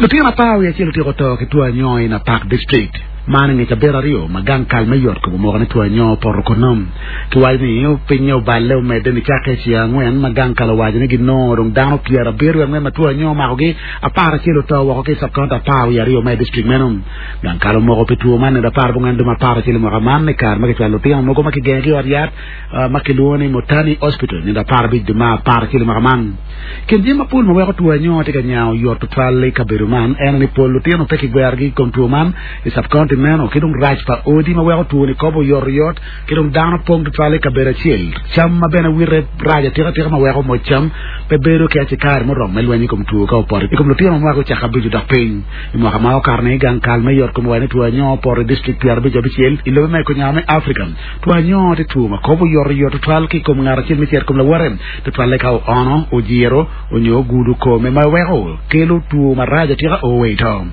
Lutino 11 otyeko to ki two anyo i Napak District. Man i nge cabit aryo ma gang kal me yot kom omoko ni two anyo opoto kunnu. Kiwaco ni pinye oballe omedde nicakke i ceng angwen ma gang kal owaco ni ginongo dong dano 74 ma two anyo omakogi, 11 oto woko ki i cab-kaunti 12 ma i distrik meno. Gang kal omoko pi two man nino 14 dwe me 11 i mwaka man i kare ma kicwalo lutino mogo ma kigengo ki i ot yat ma kilwongo ni Motani Hospital nino 15 dwe me 11 i mwaka man. Kin jami mapol ma weko two anyo tye ka nya oyot tutwal i kabedo man en aye ni pol lutino pe kigwerogi i kom two man i cab-kaunti meno ki dong rac pa odi ma weko two-ni kobo oyotoyot ki dong dano pong tutwal i kabedo acel. Cam ma bene wite rac atikatika ma weko moc cam pe bedo ki acikari muromo me lweny i kom two ka opoto i kom lutino ma mwaka ocako abico dok piny. I mwaka ma okato-ni, gang kal me yot kom owaco ni two anyo opoto i distrik 56 i lobe ma i kunyango me Afrika. Two anyo tye two ma kobo oyotoyot tutwal ki i kom ngat acel me cito i kom lawote, tutwalle ka oono, ojiro, onyo ogudo kome ma weko kelo two marac atika o wa i to.